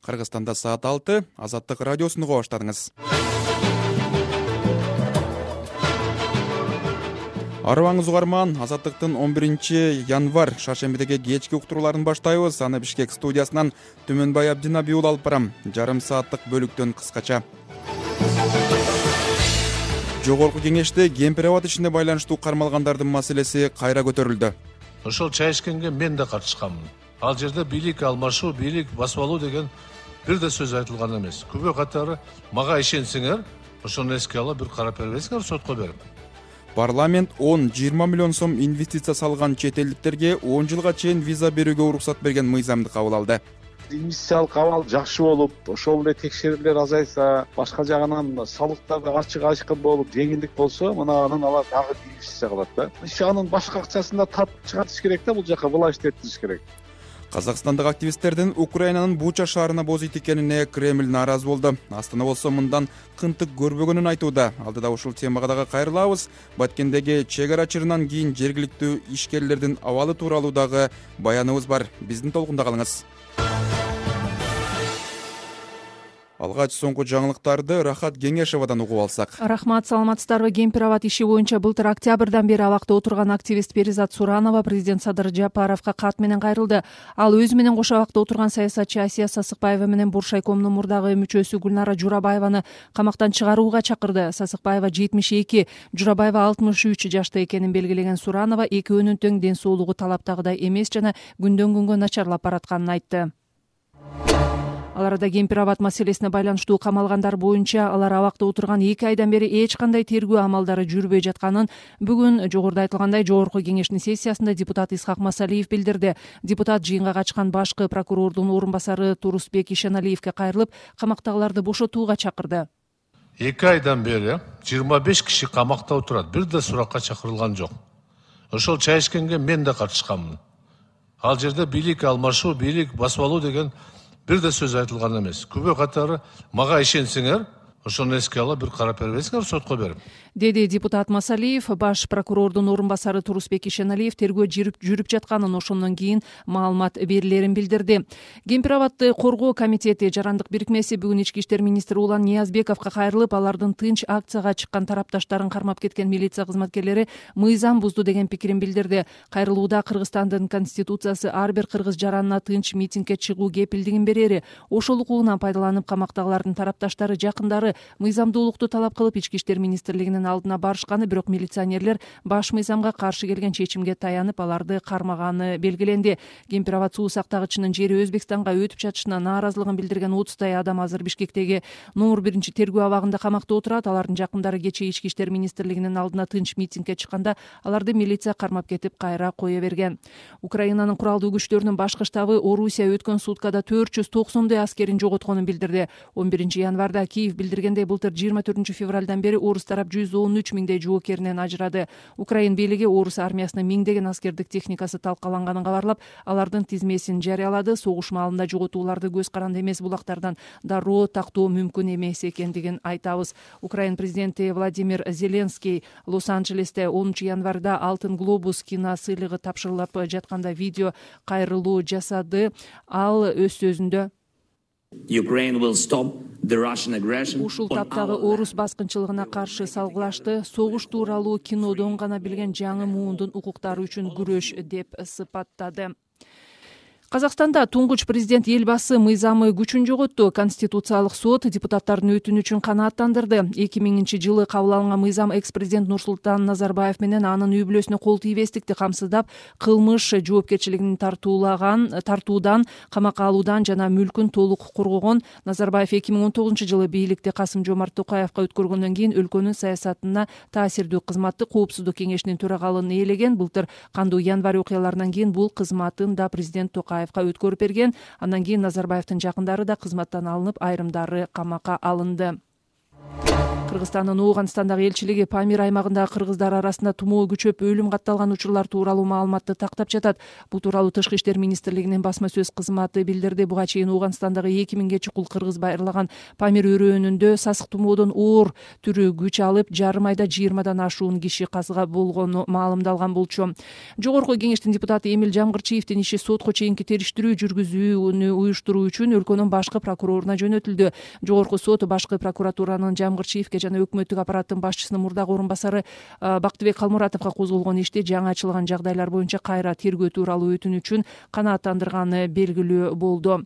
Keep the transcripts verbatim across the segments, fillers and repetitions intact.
Кыргызстанда саат алты, Азаттык радиосун уга баштадыңыз. Арыбаңыз угарман, Азаттыктын он биринчи январь шаршембидеги кечки уктурууларын баштайбыз. Аны Бишкек студиясынан Түмөнбай Абдинаби уулу алып барам. Жарым сааттык бөлүктөн кыскача. Жогорку кеңеште кемпир абад ишине байланыштуу кармалгандардын маселеси кайра көтөрүлдү. Ошол чай ичкенге мен да катышканмын. Ал жерде бийлик алмашуу, бийлик басып алуу деген бир да сөз айтылган эмес. Күбө катары мага ишенсеңер, ошону эске алып бир карап бербейсиңер, сотко берип. Парламент он жыйырма миллион сом инвестиция салган чет элдиктерге он жылга чейин виза берүүгө уруксат берген мыйзамды кабыл алды. Инвестициялык абал жакшы болуп, ошол эле текшерүүлөр азайса, башка жагынан салыктар да ачык айкын болуп, жеңилдик болсо, мына анан алар дагы инвестиция кылат да. Иш анын башка акчасын да тартып чыгарыш керек да, бул жака власть этиш керек. Казакстандык активисттердин Украинанын Буча шаарына бозойт экенине Кремль нааразы болду. Астана болсо мындан кынтык көрбөгөнүн айтууда. Алдыда ушул темага дагы кайрылабыз. Баткендеги чек ара чырынан кийин жергиликтүү ишкерлердин абалы тууралуу дагы баяныбыз бар. Биздин толкунда калыңыз. Алгач соңку жаңылыктарды Рахат Кеңешевадан угуп алсак. Рахмат, саламатсыздарбы? Кемпир абад иши боюнча былтыр октябрдан бери абакта отурган активист Перизат Суранова президент Садыр Жапаровго кат менен кайрылды. Ал өзү менен кошо абакта отурган саясатчы Асия Сасыкбаева менен Буршайкомдун мурдагы мүчөсү Гүлнара Журабаеваны камактан чыгарууга чакырды. Сасыкбаева жетимиш эки, Журабаева алтымыш үч жашта экенин белгилеген Суранова экөөнүн тең ден соолугу талаптагыдай эмес жана күндөн күнгө начарлап баратканын айтты. Ал арада кемпир абад маселесине байланыштуу камалгандар боюнча алар абакта отурган эки айдан бери эч кандай тергөө амалдары жүрбөй жатканын бүгүн жогоруда айтылгандай Жогорку кеңештин сессиясында депутат Исхак Масалиев билдирди. Депутат жыйынга качкан башкы прокурордун орун басары Турусбек Ишеналиевге кайрылып, камактагыларды бошотууга чакырды. эки айдан бери жыйырма беш киши камакта отурат, бир да суракка чакырылган жок. Ошол чай ичкенге мен да катышканмын. Ал жерде бийлик алмашуу, бийлик басып алуу деген бир да сөз айтылган эмес. Күбө катары мага ишенсеңер, ошону эске алып бир карап бербейсиңер, сотко берип. Деди депутат Масалиев. Баш прокурордун орун басары Турусбек Ишеналиев тергөө жүрүп жатканын, ошондон кийин маалымат берилерин билдирди. Кемпир абадды коргоо комитети жарандык бирикмеси бүгүн ички иштер министри Улан Ниязбековго кайрылып, алардын тынч акцияга чыккан тарапташтарын кармап кеткен милиция кызматкерлери мыйзам бузду деген пикирин билдирди. Кайрылууда Кыргызстандын конституциясы ар бир кыргыз жаранына тынч митингге чыгуу кепилдигин берери, ошол укугунан пайдаланып камактагылардын тарапташтары жакындары мыйзамдуулукту талап кылып ички иштер министрлигинин алдына барышканы, бирок милиционерлер баш мыйзамга каршы келген чечимге таянып, аларды кармаганы белгиленди. Кемпир абад суу сактагычынын жери Өзбекстанга өтүп жатышына нааразылыгын билдирген отуздай адам азыр Бишкектеги номер биринчи тергөө абагында камакта отурат. Алардын жакындары кечээ ички иштер министрлигинин алдына тынч митингге чыкканда аларды милиция кармап кетип, кайра кое берген. Украинанын куралдуу күчтөрүнүн башкы штабы Орусия өткөн суткада төрт жүз токсондой аскерин жоготконун билдирди. он биринчи январда Киев билдиргендей, былтыр жыйырма төртүнчү февралдан бери орус тарап жүз он үч миңдей жоокеринен ажырады. Украин бийлиги орус армиясынын миңдеген аскердик техникасы талкаланганын кабарлап, алардын тизмесин жарыялады. Согуш маалында жоготууларды көз каранды эмес булактардан дароо тактоо мүмкүн эмес экендигин айтабыз. Украин президенти Владимир Зеленский Лос-Анджелесте онунчу январда Алтын глобус кино сыйлыгы тапшырылып жатканда видео кайрылуу жасады. Ал өз сөзүндө ушул таптагы орус баскынчылыгына каршы салгылашты, согуш тууралуу кинодон гана билген жаңы муундун укуктары үчүн күрөш деп сыпаттады. Казакстанда туңгуч президент Элбасы мыйзамы күчүн жоготту. Конституциялык сот депутаттардын өтүнүчүн канааттандырды. эки миңинчи жылы кабыл алынган мыйзам экс-президент Нурсултан Назарбаев менен анын үй бүлөсүнө кол тийбестикти камсыздап, кылмыш жоопкерчилигин тартуулаган, тартуудан, камакка алуудан жана мүлкүн толук коргогон. Назарбаев эки миң он тогузунчу жылы бийликти Касым Жомарт Токаевга өткөргөндөн кийин өлкөнүн саясатына таасирдүү кызматты Коопсуздук кеңешинин төрагалыгын ээлеген. Былтыр кандуу январь окуяларынан кийин бул кызматын да президент Токаев өткөрүп берген. Андан кийин Назарбаевдин жакындары да кызматтан алынып, айрымдары камакка алынды. Кыргызстандын Ооганстандагы элчилиги Памир аймагындагы кыргыздар арасында тумоо күчөп өлүм катталган учурлар тууралуу маалыматты тактап жатат. Бул тууралуу Тышкы иштер министрлигинин басма сөз кызматы билдирди. Буга чейин Ооганстандагы эки миңге чукул кыргыз байырлаган Памир өрөөнүндө сасык тумоодон оор түрү күч алып, жарым айда жыйырмадан ашуун киши каза болгону маалымдалган болчу. Жогорку кеңештин депутаты Эмил Жамгырчиевдин иши сотко чейинки териштирүү жүргүзүүнү уюштуруу үчүн өлкөнүн башкы прокуроруна жөнөтүлдү. Жогорку сот башкы прокуратуранын Жамгырчиевге жана өкмөттүк аппараттын башчысынын мурдагы орун басары Бактыбек Калмуратовго козголгон ишти жаңы ачылган жагдайлар боюнча кайра тергөө тууралуу өтүнүчүн канааттандырганы белгилүү болду.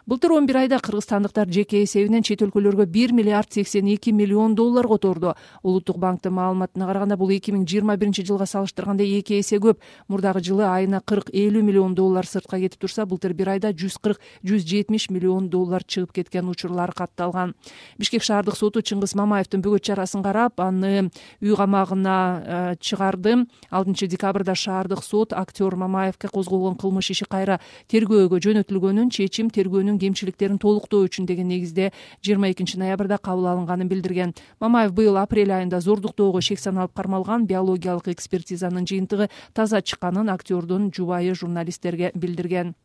Былтыр он бир айда кыргызстандыктар жеке эсебинен чет өлкөлөргө бир миллиард сексен эки миллион доллар которду. Улуттук банктын маалыматына караганда бул эки миң жыйырма биринчи жылга салыштырганда эки эсе көп. Мурдагы жылы айына кырк элүү миллион доллар сыртка кетип турса, былтыр бир айда жүз кырк жүз жетимиш миллион доллар чыгып кеткен учурлар катталган. Бишкек шаардык соту Чыңгыз Мамаевдин бөгөт чарасын карап, аны үй камагына чыгарды. алтынчы декабрда шаардык сот актер Мамаевге козголгон кылмыш иши кайра тергөөгө жөнөтүлгөнүн, чечим тергөөнүн кемчиликтерин толуктоо үчүн деген негизде жыйырма экинчи ноябрда кабыл алынганын билдирген. Мамаев быйыл апрель айында зордуктоого шек саналып кармалган. Биологиялык экспертизанын жыйынтыгы таза чыкканын актердун жубайы журналисттерге билдирген.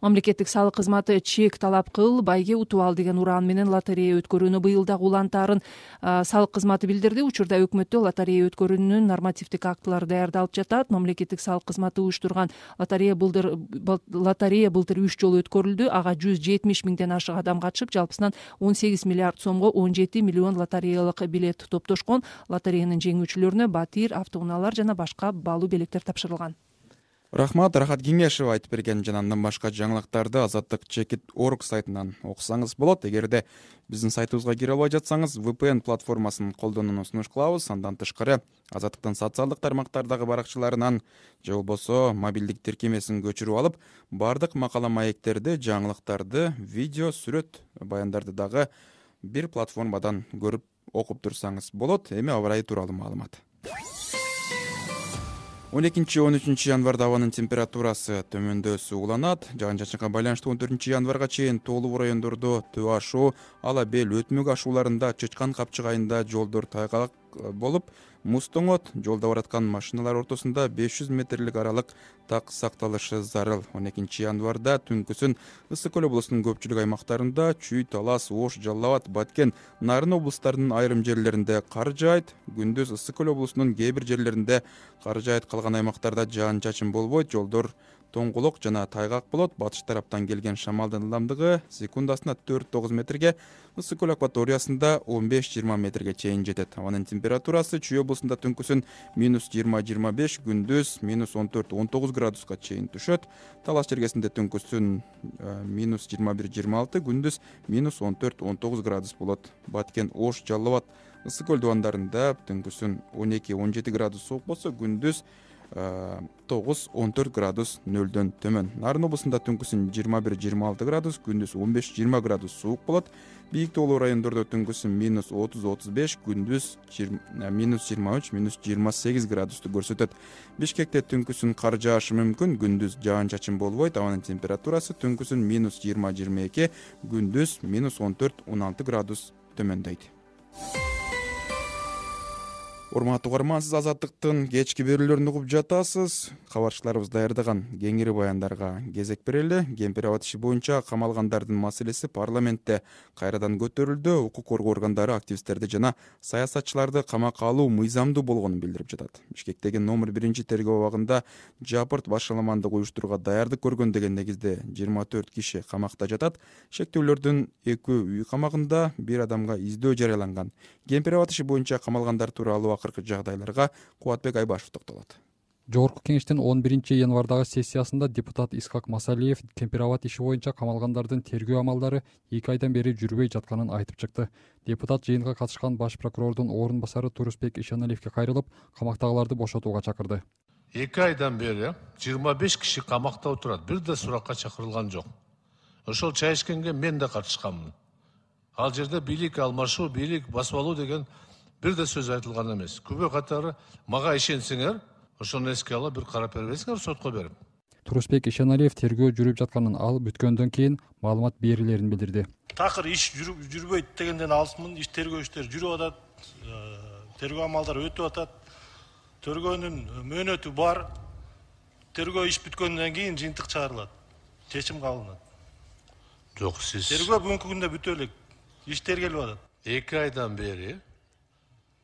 Мамлекеттик салык кызматы чек талап кыл, байге утуп ал деген ураан менен лотерея өткөрүүнү быйыл дагы улантаарын салык кызматы билдирди. Учурда өкмөттө лотерея өткөрүүнүн нормативдик актылары даярдалып жатат. Мамлекеттик салык кызматы уюштурган лотерея былтыр лотерея былтыр үч жолу өткөрүлдү. Ага жүз жетимиш миңден ашык адам катышып, жалпысынан он сегиз миллиард сомго он жети миллион лотереялык билет топтошкон. Лотереянын жеңүүчүлөрүнө батир, автоунаалар жана башка баалуу белектер тапшырылган. Рахмат, Рахат Кеңешева айтып берген жана андан башка жаңылыктарды азаттык чекит точка орг сайтынан окусаңыз болот. Эгерде биздин сайтыбызга кире албай жатсаңыз, ви пи эн платформасын колдонууну сунуш кылабыз. Андан тышкары азаттыктын социалдык тармактардагы баракчаларынан же болбосо мобилдик тиркемесин көчүрүп алып, бардык макала маектерди, жаңылыктарды, видео, сүрөт, баяндарды дагы бир платформадан көрүп окуп турсаңыз болот. Эми аба ырайы тууралуу маалымат. он экинчи он үчүнчү январда абанын температурасы төмөндөсү уланат. Жаан-чачынга байланыштуу он төртүнчү январга чейин тоолуу райондордо төө ашуу, ала бел өтмөк ашууларында, Чычкан Капчык айында жолдор тайгалак болуп, муз тоңот, жолдо бараткан машиналар ортосунда беш жүз метрлик аралык так сакталышы зарыл. он экинчи январда түнкүсүн Ысык Көл облусунун көпчүлүк аймактарында, Чүй, Талас, Ош, Жалал Абад, Баткен, Нарын облустарынын айрым жерлеринде кар жаайт. Күндүз Ысык Көл облусунун кээ бир жерлеринде кар жаайт, калган аймактарда жаан-чачын болбойт, жолдор тоңголок жана тайгак болот. Батыш тараптан келген шамалдын ылдамдыгы секундасына төрт тогуз метрге, Ысык Көл акваториясында он беш жыйырма метрге чейин жетет. Абанын температурасы Чүй облусунда түнкүсүн минус жыйырма жыйырма беш, күндүз минус он төрт он тогуз градуска чейин түшөт. Талас жергесинде түнкүсүн минус жыйырма бир жыйырма алты, күндүз минус он төрт он тогуз градус болот. Баткен, Ош, Жалал Абад, Ысык Көл дубандарында түнкүсүн он эки он жети градус суук болсо, күндүз тогуз он төрт градус нөлдөн төмөн. Нарын облусунда түнкүсүн жыйырма бир жыйырма алты градус, күндүз он беш жыйырма градус суук болот. Бийик тоолуу райондордо түнкүсүн минус отуз отуз беш, күндүз минус жыйырма үч минус жыйырма сегиз градусту көрсөтөт. Бишкекте түнкүсүн кар жаашы мүмкүн, күндүз жаан-чачын болбойт. Абанын температурасы түнкүсүн минус жыйырма жыйырма эки, күндүз минус он төрт он алты градус төмөндөйт. Урматтуу угарман, сиз азаттыктын кечки берүүлөрүн угуп жатасыз. Кабарчыларыбыз даярдаган кеңири баяндарга кезек берели. Кемпир абад иши боюнча камалгандардын маселеси парламентте кайрадан көтөрүлдү. Укук коргоо органдары активисттерди жана саясатчыларды камакка алуу мыйзамдуу болгонун билдирип жатат. Бишкектеги номер биринчи тергөө абагында жапырт башаламандык уюштурууга даярдык көргөн деген негизде жыйырма төрт киши камакта жатат. Шектүүлөрдүн экөө үй камагында, бир адамга издөө жарыяланган. Кемпир абад иши боюнча камалгандар тууралуу акыркы жагдайларга Кубатбек Айбашев токтолот. Жогорку кеңештин он биринчи январдагы сессиясында депутат Исхак Масалиев Кемпир абад иши боюнча камалгандардын тергөө амалдары эки айдан бери жүрбөй жатканын айтып чыкты. Депутат жыйынга катышкан баш прокурордун орун басары Турусбек Ишаналиевге кайрылып, камактагыларды бошотууга чакырды. эки айдан бери жыйырма беш киши камакта отурат, бир да суракка чакырылган жок. Ошол чай ичкенге мен да катышканмын. Ал жерде бийлик алмашуу, бийлик басып алуу деген бир да сөз айтылган эмес. Күбө катары мага ишенсеңер, ошону эске алып бир карап бербейсиңер сотко берип. Турусбек Ишаналиев тергөө жүрүп жатканын, ал бүткөндөн кийин маалымат берилерин билдирди. такыр иш жүрбөйт дегенден алысмын. Иш тергөө иштери жүрүп атат. Тергөө амалдары өтүп атат. Тергөөнүн мөөнөтү бар. Тергөө иш бүткөндөн кийин жыйынтык чыгарылат. Чечим кабылданат. Жок, сиз Тергөө бүгүнкү күндө бүтө элек. Иш тергелип атат. эки айдан бери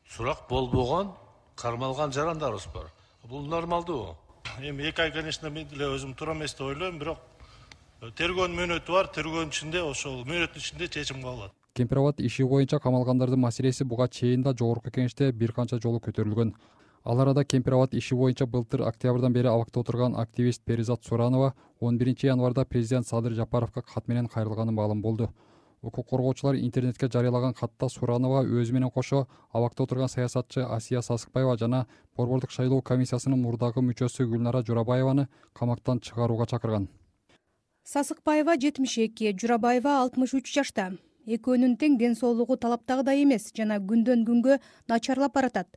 сурак болбогон, кармалган жарандарыбыз бар. Бул нормалдуу. Эми эки ай, конечно, мен деле өзүм туура эмес деп ойлойм, бирок тергөөнүн мөөнөтү бар. Тергөөнүн ичинде ошол мөөнөттүн ичинде чечим кабылат. Кемпирабад иши боюнча камалгандардын маселеси буга чейин да жогорку кеңеште бир канча жолу көтөрүлгөн. Ал арада Кемпирабад иши боюнча былтыр октябрдан бери абакта отурган активист Перизат Суранова он биринчи январда президент Садыр Жапаровго кат менен кайрылганы маалым болду. Укук коргоочулар интернетке жарыялаган катта Суранова өзү менен кошо абакта отурган саясатчы Асия Сасыкбаева жана Борбордук шайлоо комиссиясынын мурдагы мүчөсү Гүлнара Журабаеваны камактан чыгарууга чакырган. Сасыкбаева жетимиш эки, Журабаева алтымыш үч жашта. Экөөнүн тең ден соолугу талаптагыдай эмес жана күндөн күнгө начарлап баратат.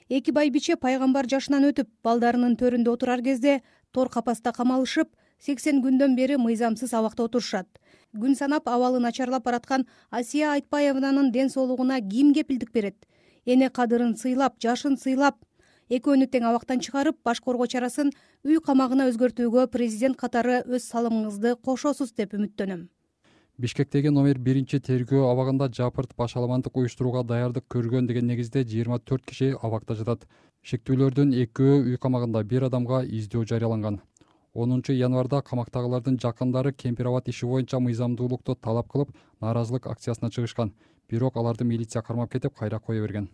Эки байбиче пайгамбар жашынан өтүп, балдарынын төрүндө отурар кезде тор капаста камалышып, сексен күндөн бери мыйзамсыз абакта отурушат. Күн санап абалы начарлап бараткан Асия Айтбаеванын ден соолугуна ким кепилдик берет? Эне кадырын сыйлап, жашын сыйлап, экөөнү тең абактан чыгарып, баш коргоо чарасын үй камагына өзгөртүүгө президент катары өз салымыңызды кошосуз деп үмүттөнөм. Бишкектеги номер биринчи тергөө абагында жапырт башаламандык уюштурууга даярдык көргөн деген негизде жыйырма төрт киши абакта жатат. Шектүүлөрдүн экөө үй камагында, бир адамга издөө жарыяланган. онунчу январда камактагылардын жакындары Кемпирабад иши боюнча мыйзамдуулукту талап кылып, нааразылык акциясына чыгышкан. Бирок аларды милиция кармап кетип, кайра кое берген.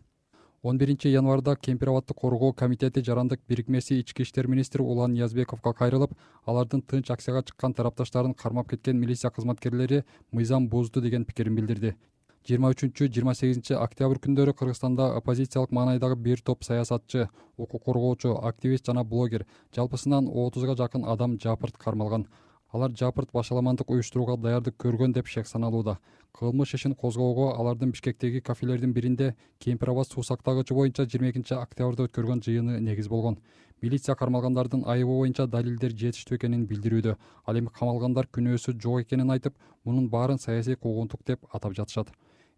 он биринчи январда Кемпирабадды коргоо комитети жарандык бирикмеси ички иштер министри Улан Ниязбековго кайрылып, алардын тынч акцияга чыккан тарапташтарын кармап кеткен милиция кызматкерлери мыйзам бузду деген пикирин билдирди. жыйырма үчүнчү жыйырма сегизинчи октябрь күндөрү Кыргызстанда оппозициялык маанайдагы бир топ саясатчы, укук коргоочу, активист жана блогер, жалпысынан отузга жакын адам жапырт кармалган. Алар жапырт башаламандык уюштурууга даярдык көргөн деп шек саналууда. Кылмыш ишин козгоого алардын Бишкектеги кафелердин биринде Кемпирабад суу сактагычы боюнча жыйырма экинчи октябрда өткөргөн жыйыны негиз болгон. Милиция кармалгандардын айыбы боюнча далилдер жетиштүү экенин билдирүүдө. Ал эми камалгандар күнөөсү жок экенин айтып, мунун баарын саясий куугунтук деп атап жатышат.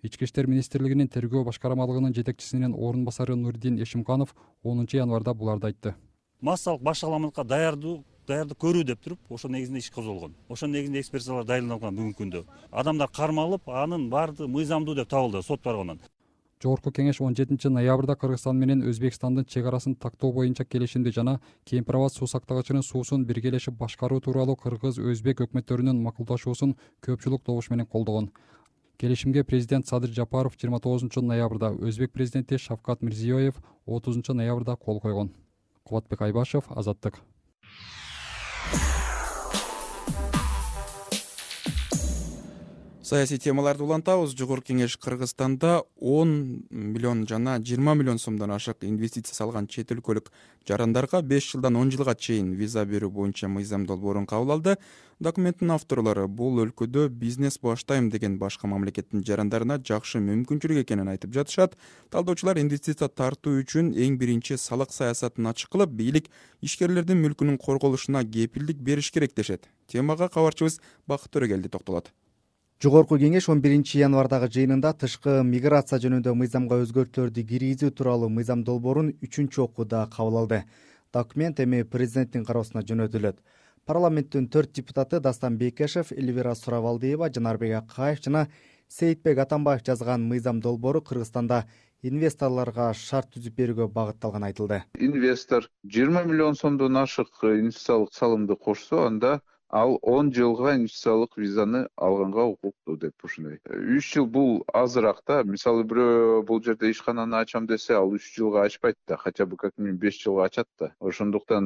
Ички иштер министрлигинин тергөө башкармалыгынын жетекчисинин орун басары Нурдин Эшимканов онунчу январда буларды айтты. Массалык башаламандыкка даярдуу даярдык көрүү деп туруп, ошо негизинде иш козголгон. Ошо негизинде экспертизалар дайындалган бүгүнкү күндө. Адамдар кармалып, анын баардыгы мыйзамдуу деп табылды сот баргандан. Жогорку кеңеш он жетинчи ноябрда Кыргызстан менен Өзбекстандын чек арасын тактоо боюнча келишимди жана Кемпирабад суу сактагычынын суусун биргелешип башкаруу тууралуу кыргыз-өзбек өкмөттөрүнүн макулдашуусун көпчүлүк добуш менен колдогон. Келишимге президент Садыр Жапаров жыйырма тогузунчу ноябрда, Өзбек президенти Шавкат Мирзиёев отузунчу ноябрда кол койгон. Кубатбек Айбашев, Азаттык. Саясий темаларды улантабыз. Жогорку кеңеш Кыргызстанда он миллион жана жыйырма миллион сомдон ашык инвестиция салган чет өлкөлүк жарандарга беш жылдан он жылга чейин виза берүү боюнча мыйзам долбоорун кабыл алды. Документтин авторлору бул өлкөдө бизнес баштайм деген башка мамлекеттин жарандарына жакшы мүмкүнчүлүк экенин айтып жатышат. Талдоочулар инвестиция тартуу үчүн эң биринчи салык саясатын ачык кылып, бийлик ишкерлердин мүлкүнүн корголушуна кепилдик бериш керек дешет. Темага кабарчыбыз Бакыт Төрөгелди токтолот. Жогорку кеңеш он биринчи январдагы жыйынында тышкы миграция жөнүндө мыйзамга өзгөртүүлөрдү киргизүү тууралуу мыйзам долбоорун үчүнчү окууда кабыл алды. Документ эми президенттин кароосуна жөнөтүлөт. Парламенттин төрт депутаты Дастан Бекешев, Эльвира Суравалдиева, Жанарбек Акаев жана Сейитбек Атамбаев жазган мыйзам долбоору Кыргызстанда инвесторлорго шарт түзүп берүүгө багытталган айтылды. Инвестор жыйырма миллион сомдон ашык инвестициялык салымды кошсо, анда ал он жылга инвестициялык визаны алганга укуктуу деп ушундай. үч жыл бул азыраак да. Мисалы бирөө бул жерде ишкананы ачам десе, ал үч жылга ачпайт да, хотя бы как минимум беш жылга ачат да. Ошондуктан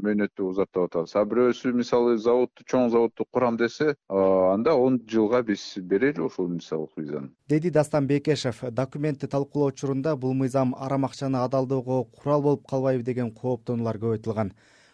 мөөнөттү узартып атабыз. А бирөөсү мисалы заводду, чоң заводду курам десе, анда он жылга биз берели ошол инвестициялык визаны. Деди Дастан Бекешев, документти талкуулоо учурунда бул мыйзам арам акчаны адалдоого курал болуп калбайбы деген кооптонуулар көп айтылган.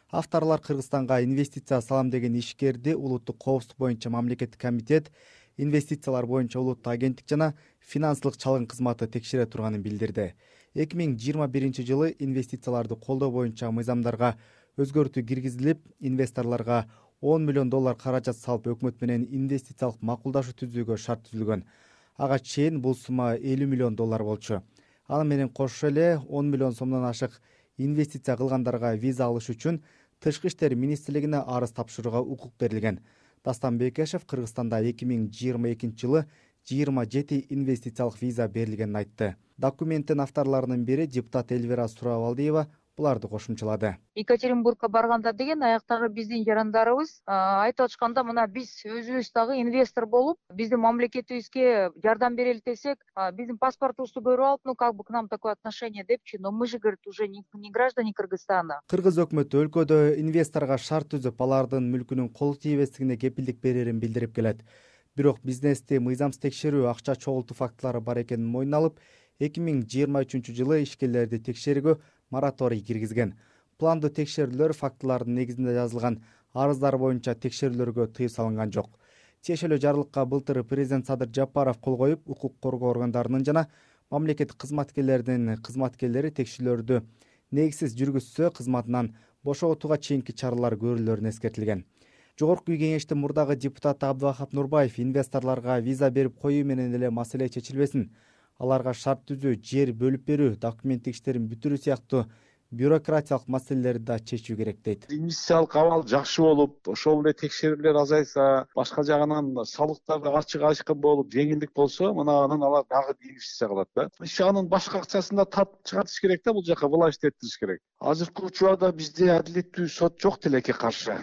Авторлор Кыргызстанга инвестиция салам деген ишкерди улуттук коопсуздук боюнча мамлекеттик комитет, инвестициялар боюнча улуттук агенттик жана финансылык чалгын кызматы текшере турганын билдирди. эки миң жыйырма биринчи жылы инвестицияларды колдоо боюнча мыйзамдарга өзгөртүү киргизилип, инвесторлорго он миллион доллар каражат салып өкмөт менен инвестициялык макулдашуу түзүүгө шарт түзүлгөн. Ага чейин бул сумма элүү миллион доллар болчу. Аны менен кошо эле он миллион сомдон ашык инвестиция кылгандарга виза алыш үчүн Тышкы иштер министрлигине арыз тапшырууга укук берилген. Дастан Бекешев Кыргызстанда эки миң жыйырма экинчи жылы жыйырма жети инвестициялык виза берилгенин айтты. Документтин авторлорунун бири депутат Эльвира Сурабалдиева буларды кошумчалады. Екатеринбургка барганда деген аяктагы биздин жарандарыбыз айтып атышканда, мына биз өзүбүз дагы инвестор болуп, биздин мамлекетибизге жардам берели десек, биздин паспортубузду көрүп алып, ну как бы к нам такое отношение депчи, но мы же, говорит, уже не граждане Кыргызстана. Кыргыз өкмөтү өлкөдө инвесторго шарт түзүп, алардын мүлкүнүн кол тийбестигине кепилдик берерин билдирип келет. Бирок бизнести мыйзамсыз текшерүү, акча чогултуу фактылары бар экенин мойнуна алып, эки миң жыйырма үчүнчү жылы ишкерлерди текшерүүгө мораторий киргизген. Пландуу текшерүүлөр фактылардын негизинде жазылган арыздар боюнча текшерүүлөргө тыюу салынган жок. Тиешелүү жарлыкка былтыр президент Садыр Жапаров кол коюп, укук коргоо органдарынын жана мамлекеттик кызматкерлердин кызматкерлери текшерүүлөрдү негизсиз жүргүзсө, кызматынан бошотууга чейинки чаралар көрүлөрүн эскертилген. Жогорку үй кеңештин мурдагы депутаты Абдывахап Нурбаев инвесторлорго виза берип коюу менен эле маселе чечилбесин, аларга шарт түзүү, жер бөлүп берүү, документтик иштерин бүтүрүү сыяктуу бюрократиялык маселелерди да чечүү керек дейт. Инвестициялык абал жакшы болуп, ошол эле текшерүүлөр азайса, башка жагынан салыктар да ачык ачкын болуп, жеңилдик болсо, мына анан алар дагы инвестиция кылат да. Иш анын башка акчасын да тартып чыгарыш керек да, бул жака власть эттириш керек. Азыркы учурда бизде адилеттүү сот жок тилекке каршы.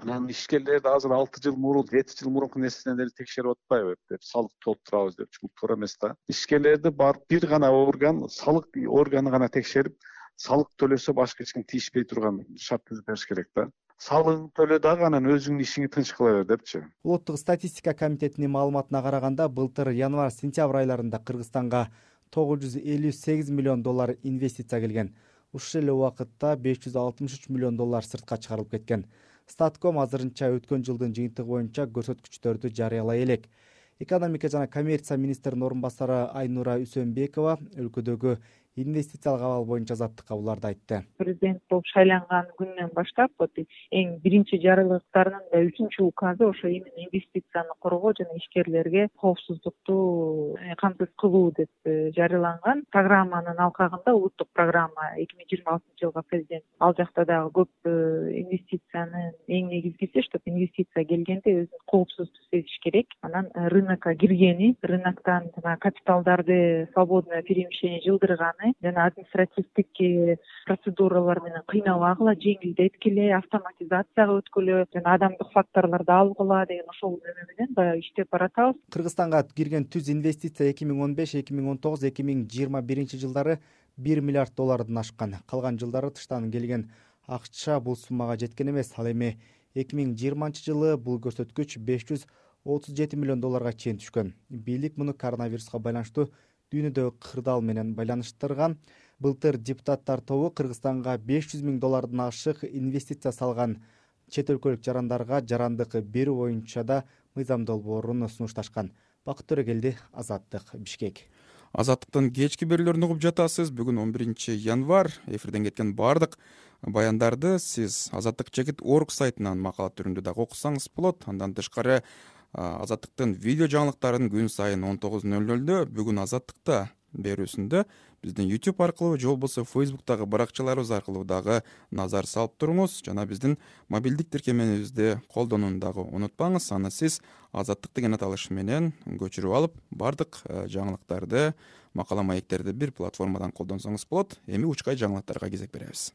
Анан ишкерлерди азыр алты жыл мурун, жети жыл мурунку нерседен эле текшерип атпайбы деп, салык толтурабыз деп, бул туура эмес да. Ишкерлерди бар бир гана орган, салык органы гана текшерип, салык төлөсө башка эч ким тийишпей турган шарт түзүп бериш керек да. Салыгын төлө дагы анан өзүңдүн ишиңи тынч кыла бер депчи. Улуттук статистика комитетинин маалыматына караганда, былтыр январь-сентябрь айларында Кыргызстанга тогуз жүз элүү сегиз миллион доллар инвестиция келген. Ушул эле убакытта беш жүз алтымыш үч миллион доллар сыртка чыгарылып кеткен. Статком азырынча өткөн жылдын жыйынтыгы боюнча көрсөткүчтөрдү жарыялай элек. Экономика жана коммерция министринин орун басары Айнура Үсөнбекова өлкөдөгү инвестициялык абал боюнча азаттыкка буларды айтты. Президент болуп шайланган күндөн баштап вот эң биринчи жарлыктарынын да үчүнчү указы ошо именно инвестицияны коргоо жана ишкерлерге коопсуздукту камсыз кылуу деп жарыяланган. Программанын алкагында улуттук программа эки миң жыйырма алтынчы жылга президент ал жакта дагы көп инвестициянын эң негизгиси, чтобы инвестиция келгенде өзүн коопсуз сезиш керек. Анан рынокко киргени, рыноктон капиталдарды свободное перемещение жылдырганы жана административдик процедуралар менен кыйнабагыла, жеңилдеткиле, автоматизацияга өткүлө жана адамдык факторлорду алгыла деген ошол эме менен баягы иштеп баратабыз. Кыргызстанга кирген түз инвестиция эки миң он беш, эки миң он тогуз, эки миң жыйырма биринчи жылдары бир миллиард доллардан ашкан. Калган жылдары тыштан келген акча бул суммага жеткен эмес. Ал эми эки миң жыйырманчы жылы бул көрсөткүч беш жүз отуз жети миллион долларга чейин түшкөн. Бийлик муну коронавируска байланыштуу дүйнөдөгү кырдаал менен байланыштырган. Былтыр депутаттар тобу Кыргызстанга беш жүз миң доллардан ашык инвестиция салган чет өлкөлүк жарандарга жарандык берүү боюнча да мыйзам долбоорун сунушташкан. Бакыт Төрөгелди, Азаттык, Бишкек. Азаттыктын кечки берүүлөрүн угуп жатасыз. Бүгүн он биринчи январь. Эфирден кеткен баардык баяндарды сиз Азаттык чекит орг сайтынан макала түрүндө дагы окусаңыз болот. Андан тышкары Азаттыктын видео жаңылыктарын күн сайын он тогуз ноль нолдо бүгүн Азаттыкта берүүсүндө биздин YouTube аркылуу же болбосо Facebook'тагы баракчаларыбыз аркылуу дагы назар салып туруңуз жана биздин мобилдик тиркемебизди колдонууну дагы унутпаңыз. Аны сиз Азаттык деген аталыш менен көчүрүп алып, бардык жаңылыктарды, макала маектерди бир платформадан колдонсоңуз болот. Эми учкай жаңылыктарга кезек беребиз.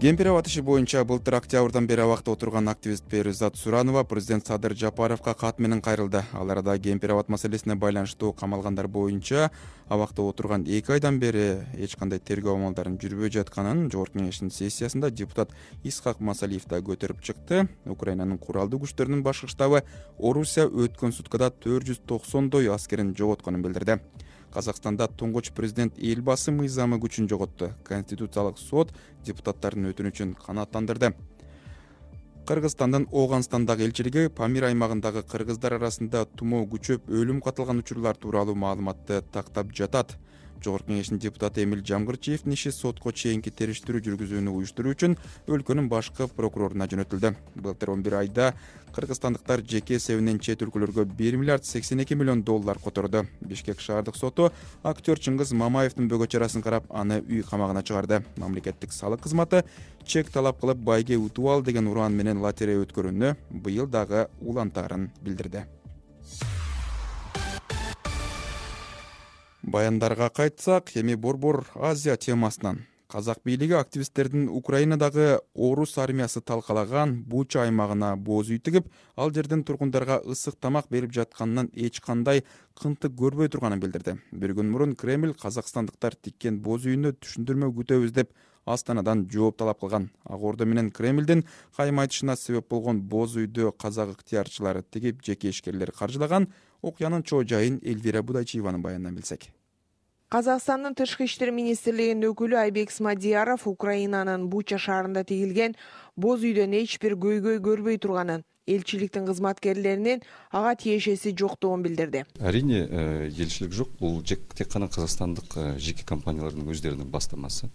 Кемпирабад иши боюнча былтыр октябрдан бери абакта отурган активист Перизат Суранова президент Садыр Жапаровго кат менен кайрылды. Ал арада Кемпирабад маселесине байланыштуу камалгандар боюнча абакта отурган эки айдан бери эч кандай тергөө амалдарын жүрбөй жатканын Жогорку кеңештин сессиясында депутат Исхак Масалиев да көтөрүп чыкты. Украинанын куралдуу күчтөрүнүн башкы штабы Орусия өткөн суткада төрт жүз токсондой аскерин жоготконун билдирди. Казакстанда туңгуч президент Элбасы мыйзамы күчүн жоготту. Конституциялык сот депутаттардын өтүнүчүн канааттандырды. Кыргызстандын Ооганстандагы элчилиги Памир аймагындагы кыргыздар арасында тумоо күчөп өлүм катылган учурлар тууралуу маалыматты тактап жатат. Жогорку Кеңештин депутаты Эмил Жамгырчиевдин иши сотко чейинки териштирүү жүргүзүүнү уюштуруу үчүн өлкөнүн башкы прокуроруна жөнөтүлдү. Былтыр он бир айда кыргызстандыктар жеке эсебинен чет өлкөлөргө бир миллиард сексен эки миллион доллар которду. Бишкек шаардык соту актер Чыңгыз Мамаевдин бөгө чарасын карап, аны үй камагына чыгарды. Мамлекеттик салык кызматы чек талап кылып байге утуп ал деген ураан менен лотерея өткөрүүнү быйыл дагы улантаарын билдирди. Баяндарга кайтсак, эми борбор Азия темасынан. Казак бийлиги активисттердин Украинадагы орус армиясы талкалаган Буча аймагына боз үй тигип, ал жерден тургундарга ысык тамак берип жатканынан эч кандай кынтык көрбөй турганын билдирди. Бир күн мурун Кремль казакстандыктар тиккен боз үйүнө түшүндүрмө күтөбүз деп Астанадан жооп талап кылган. Ак Ордо менен Кремлдин кайым айтышына себеп болгон боз үйдү казак ыктыярчылары тигип, жеке ишкерлер каржылаган. Окуянын чоо жайын Эльвира Будайчиеванын баянынан билсек. Казакстандын тышкы иштер министрлигинин өкүлү Айбек Смадияров Украинанын Буча шаарында тигилген боз үйдөн эч бир көйгөй көрбөй турганын, элчиликтин кызматкерлеринин ага тиешеси жоктугун билдирди. Арине элчилик жок, бул тек гана казакстандык жеке компаниялардын өздөрүнүн бастамасы.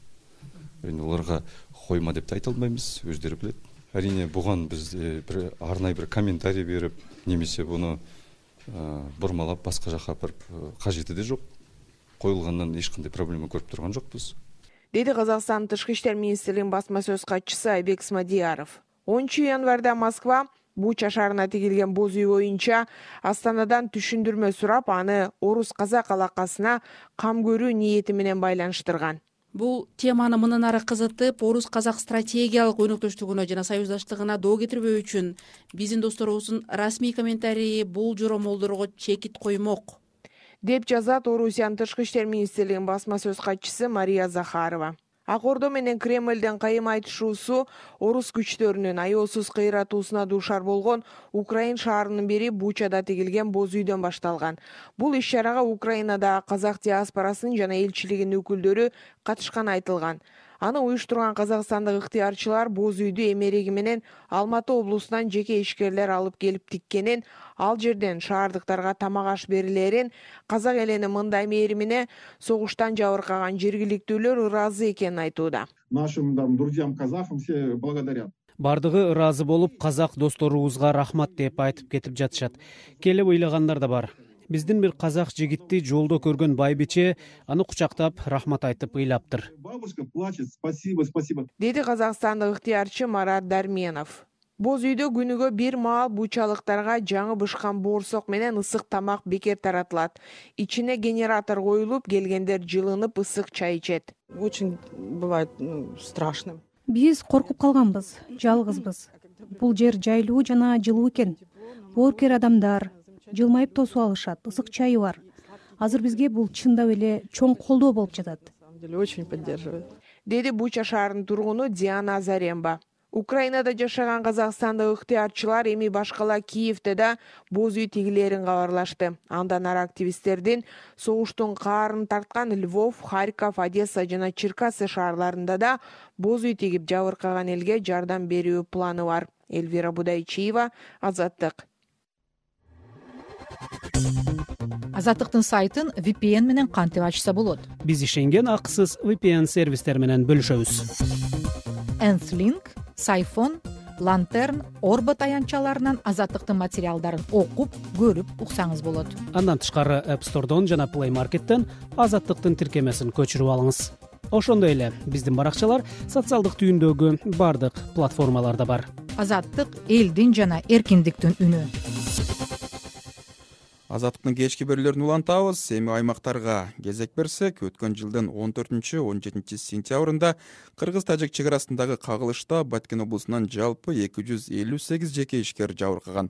Эми аларга койма деп да айта албайбыз, өздөрү билет. Арине буган биз бир арнайы бир комментарий берип, немесе буну бурмалап башка жака барып кажети да жок. Коюлгандан эч кандай проблема көрүп турган жокпуз. Деди Казакстан тышкы иштер министрлигинин басма сөз катчысы Айбек Смадияров. онунчу январда Москва Буча шаарына тигилген боз үй боюнча Астанадан түшүндүрмө сурап, аны орус-казак алакасына кам көрүү ниети менен байланыштырган. Бул теманы мындан ары кызытып, орус-казак стратегиялык өнөктөштүгүнө жана союздаштыгына доо кетирбөө үчүн биздин досторубуздун расмий комментарийи бул жоромолдорго чекит коймок, деп жазат Орусиянын тышкы иштер министрлигинин басма сөз катчысы Мария Захарова. Ак Ордо менен Кремлдин кайым айтышуусу орус күчтөрүнүн аеосуз кыйратуусуна дуушар болгон Украин шаарынын бири Бучада тигилген боз үйдөн башталган. Бул иш-чарага Украинадагы казак диаспорасынын жана элчилигинин өкүлдөрү катышканы айтылган. Аны уюштурган казакстандык ыктыярчылар боз үйдү эмереги менен Алматы облусунан жеке ишкерлер алып келип тиккенин, ал жерден шаардыктарга тамак аш берилерин, казак элинин мындай мээримине согуштан жабыркаган жергиликтүүлөр ыраазы экенин айтууда. Нашим друзьям казахам все благодарят. Бардыгы ыраазы болуп, казак досторубузга рахмат деп айтып кетип жатышат. Келип ыйлагандар да бар. Биздин бир казак жигитти жолдо көргөн байбиче аны кучактап рахмат айтып ыйлаптыр. Бабушка плачет, спасибо, спасибо. Деди казакстандык ыктыярчы Марат Дарменов. Боз үйдө күнүгө бир маал бучалыктарга жаңы бышкан боорсок менен ысык тамак бекер таратылат. Ичине генератор коюлуп, келгендер жылынып ысык чай ичет. Очень бывает страшно. Биз коркуп калганбыз, жалгызбыз. Бул жер жайлуу жана жылуу экен. Боорукер адамдар жылмайып тосуп алышат, ысык чайы бар. Азыр бизге бул чындап эле чоң колдоо болуп жатат. На самом деле очень поддерживает. Деди Буча шаарынын тургуну Диана Азаренба. Украинада жашаган казакстандык ыктыярчылар эми башкала Киевде да боз үй тигилерин кабарлашты. Андан ары активисттердин согуштун каарын тарткан Львов, Харьков, Одесса жана Черкассы шаарларында да боз үй тигип жабыркаган элге жардам берүү планы бар. Эльвира Будайчиева, Азаттык. Азаттыктын сайтын ви пи эн менен кантип ачса болот? Биз ишенген акысыз ви пи эн сервистер менен бөлүшөбүз. Энфлинк, Сайфон, Лантерн, Орбо таянчаларынан Азаттыктын материалдарын окуп, көрүп уксаңыз болот. Андан тышкары App Store'дон жана Play Market'тен Азаттыктын тиркемесин көчүрүп алыңыз. Ошондой эле биздин баракчалар социалдык түйүндөгү бардык платформаларда бар. Азаттык элдин жана эркиндиктин үнү. Азаттыктын кечки берүүлөрүн улантабыз. Эми аймактарга кезек берсек, өткөн жылдын он төртүнчү он жетинчи сентябрында кыргыз-тажик чек арасындагы кагылышта Баткен облусунан жалпы эки жүз элүү сегиз жеке ишкер жабыркаган.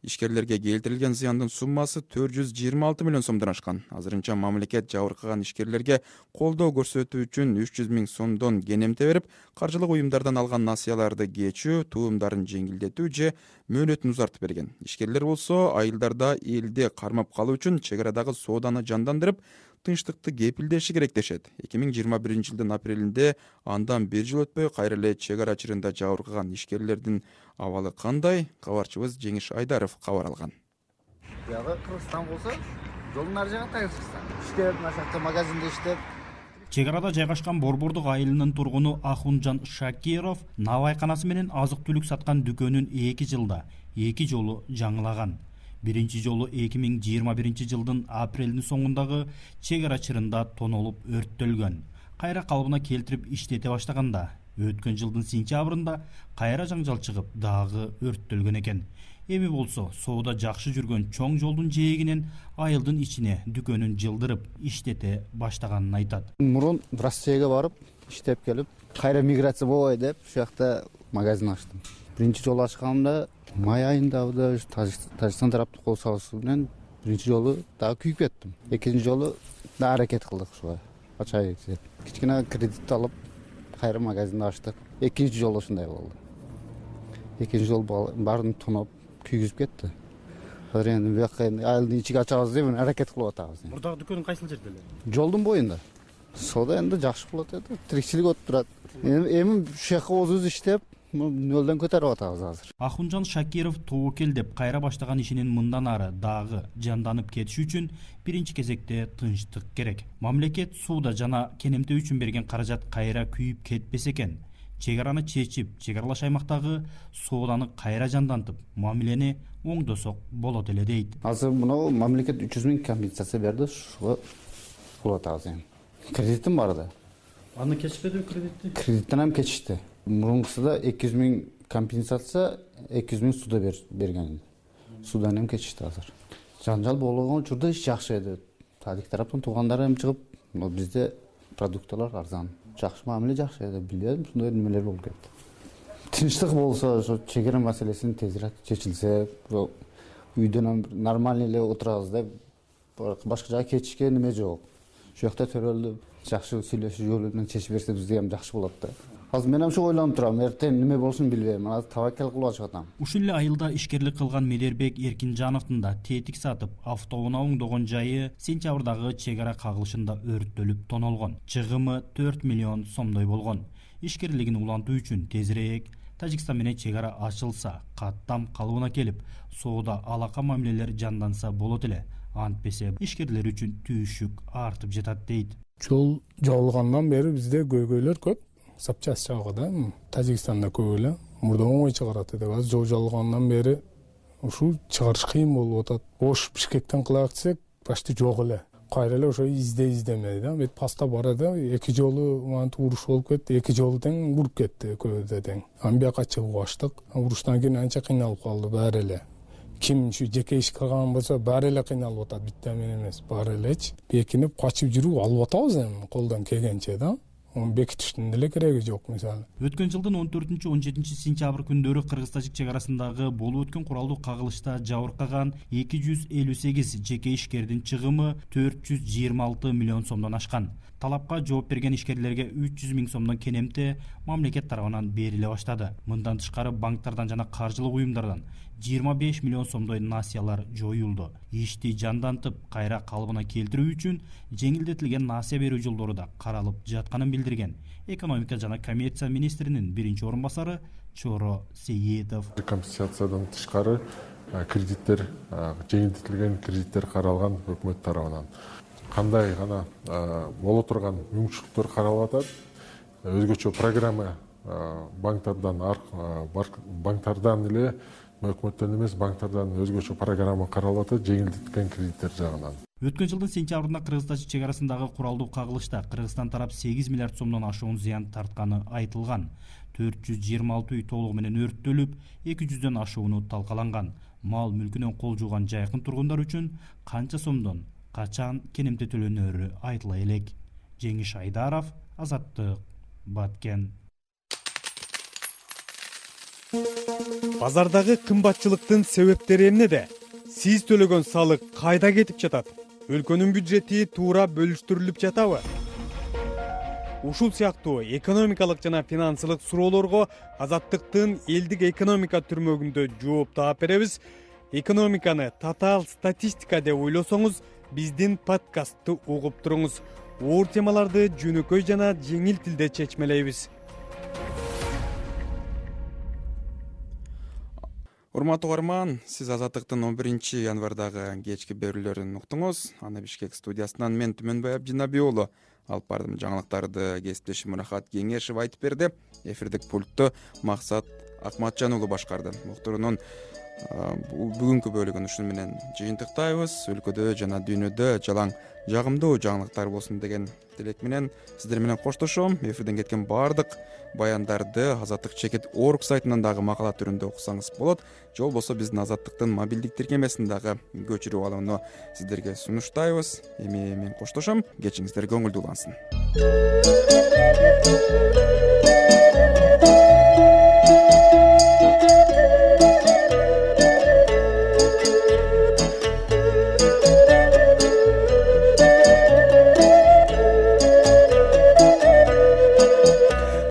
Ишкерлерге келтирилген зыяндын суммасы төрт жүз жыйырма алты миллион сомдон ашкан. Азырынча мамлекет жабыркаган ишкерлерге колдоо көрсөтүү үчүн үч жүз миң сомдон кенемте берип, каржылык уюмдардан алган насыяларды кечүү, туумдарын жеңилдетүү же мөөнөтүн узартып берген. Ишкерлер болсо айылдарда элди кармап калуу үчүн чек арадагы сооданы жандандырып, тынчтыкты кепилдеши керек дешет. эки миң жыйырма биринчи жылдын апрелинде андан бир жыл өтпөй кайра эле чек ара чырында жабыркаган ишкерлердин абалы кандай? Кабарчыбыз Жеңиш Айдаров кабар алган. Бияга Кыргызстан болсо жолдун ар жагында иштеп, мына магазинде иштеп. Чек арада жайгашкан Борбордук айылынын тургуну Ахунжан Шакиров навайканасы менен азык-түлүк саткан дүкөнүн эки жылда эки жолу жаңылаган. Биринчи жолу эки миң жыйырма биринчи жылдын апрелдин соңундагы чек ара чырында тонолуп өрттөлгөн. Кайра калыбына келтирип иштете баштаганда өткөн жылдын сентябрында кайра жаңжал чыгып дагы өрттөлгөн экен. Эми болсо соода жакшы жүргөн чоң жолдун жээгинен айылдын ичине дүкөнүн жылдырып иштете баштаганын айтат. Мурун Россияга барып иштеп келип, кайра миграция болбой деп ушул жакта магазин ачтым. Биринчи жолу ачканымда май айында Тажикстан тараптын кол салуусу менен биринчи жолу дагы күйүп кеттим. Экинчи жолу да аракет кылдык ушуга ачайык деп. Кичкене кредит алып кайра магазинди ачтык. Экинчи жолу ушундай болду. Экинчи жолу баарын тоноп күйгүзүп кетти. Азыр эми бияка айылдын ичиге ачабыз деп аракет кылып атабыз. Мурдагы дүкөнүң кайсыл жерде эле? Жолдун боюнда. Соода энди жакшы болот эди. Тирикчилик өтүп турат. Эми ушул жака өзүбүз иштеп, нөлдөн көтөрүп атабыз азыр. Ахунжан Шакиров тобокел деп кайра баштаган ишинин мындан ары дагы жанданып кетиши үчүн биринчи кезекте тынчтык керек. Мамлекет сууда жана кенемте үчүн берген каражат кайра күйүп кетпесе экен. Чек араны чечип, чек аралаш аймактагы сооданы кайра жандантып, мамилени оңдосок болот эле дейт. Азыр мына мамлекет үч жүз миң компенсация берди, ушуга болот азыр. Кредитим бар да. Аны кечпеди кредитти? Кредиттен ham кечишти. Мурункусуда эки жүз миң компенсация, эки жүз миң суда берген. Судан ham кечишти азыр. Жанжал болгон учурда иш жакшы эди. Тадик тараптан туугандары ham чыгып, бизде продукталар арзан. Жакшы мамиле жакшы эди. Билбедим, ушундай немелер болуп кетти. Тынчтык болсо, ошо чек ара маселесин тезирээк чечилсе, үйдөн ham нормально эле отурабыз деп, башка жака кетишке неме жок. Ошол жакта төрөлүп, жакшы сүйлөшүү жолу менен чечип берсе бизге ham жакшы болот да. Азыр мен ham ошо ойлонуп турам, эртең неме болушун билбейм. Азыр табакел кылып ачып атам. Ушул эле айылда ишкерлик кылган Медербек Эркинжановдун да тетик сатып, автоунаа оңдогон жайы сентябрдагы чек ара кагылышында өрттөлүп тонолгон. Чыгымы төрт миллион сомдой болгон. Ишкерлигин улантуу үчүн тезирээк Тажикстан менен чек ара ачылса, каттам калыбына келип, соода алака мамилелер жанданса болот эле. Антпесе ишкерлер үчүн түйшүк артып жатат дейт. Жол жабылгандан бери бизде көйгөйлөр көп. Запчасть жагы да Тажикстанда көп эле. Мурда оңой чыгарат эди. Азыр жол жабылгандан бери ушул чыгарыш кыйын болуп атат. Ош Бишкектен кылайык десек, почти жок эле. Кайра эле ошо изде издемей да. Бет паста бар да, эки жолу мантип уруш болуп кетти, эки жолу тең уруп кетти көбүдө тең. Амбияка чыгып аштык. Уруштан кийин анча кыйналып калды баары эле. Ким ушу жеке иш кылган болсо баары эле кыйналып атат, битте мен эмес, баары элечи. Бекинип качып жүрүп алып атабыз эми колдон келгенче да. Onu бекитиштин деле кереги жок мисалы. Өткөн жылдын он төртүнчү он жетинчи сентябрь күндөрү Кыргыз-Тажик чек арасындагы болуп өткөн куралдуу кагылышта жабыркаган эки жүз элүү сегиз жеке ишкердин чыгымы төрт жүз жыйырма алты миллион сомдон ашкан. Талапка жооп берген ишкерлерге үч жүз миң сомдон кенемте мамлекет тарабынан бериле баштады. Мындан тышкары банктардан жана каржылык уюмдардан жыйырма беш миллион сомдой насыялар жоюлду. Ишти жандантып, кайра калыбына келтирүү үчүн жеңилдетилген насыя берүү жолдору да каралып жатканын билдирген экономика жана коммерция министринин биринчи орун басары Чоро Сейитов. Компенсациядан тышкары кредиттер, жеңилдетилген кредиттер каралган өкмөт тарабынан. Кандай гана боло турган мүмкүнчүлүктөр каралып атат. Өзгөчө программа банктардан банктардан эле өкмөттөн эмес, банктардан өзгөчө программа каралып атат, жеңилдетилген кредиттер жагынан. Өткөн жылдын сентябрында Кыргыз-Тажик чек арасындагы куралдуу кагылышта Кыргызстан тарап сегиз миллиард сомдон ашуун зыян тартканы айтылган. төрт жүз жыйырма алты үй толугу менен өрттөлүп, эки жүздөн ашууну талкаланган. Мал мүлкүнөн кол жууган жайкын тургундар үчүн канча сомдон качан кенемте төлөнөрү айтыла элек. Жеңиш Айдаров, Азаттык, Баткен. Базардагы кымбатчылыктын себептери эмнеде? Сиз төлөгөн салык кайда кетип жатат? Өлкөнүн бюджети туура бөлүштүрүлүп жатабы? Ушул сыяктуу экономикалык жана финансылык суроолорго Азаттыктын элдик экономика түрмөгүндө жооп таап беребиз. Экономиканы татаал статистика деп ойлосоңуз, биздин подкастты угуп туруңуз. Оор темаларды жөнөкөй жана жеңил тилде чечмелейбиз. урматтуу угарман, сиз Азаттыктын он биринчи январдагы кечки берүүлөрүн уктуңуз. Аны Бишкек студиясынан мен Түмөнбай Абдинаби уулу алып бардым. Жаңылыктарды кесиптешим Мурахат Кеңешев айтып берди. Эфирдик пультту Максат Акматжан уулу башкарды. Уктуруунун бүгүнкү бөлүгүн ушуну менен жыйынтыктайбыз. Өлкөдө жана дүйнөдө жалаң жагымдуу жаңылыктар болсун деген тилек менен сиздер менен коштошом. Эфирден кеткен баардык баяндарды Азаттык чекит орг сайтынан дагы макала түрүндө окусаңыз болот. Же болбосо биздин Азаттыктын мобилдик тиркемесин дагы көчүрүп алууну сиздерге сунуштайбыз. Эми мен коштошом. Кечиңиздер көңүлдүү улансын.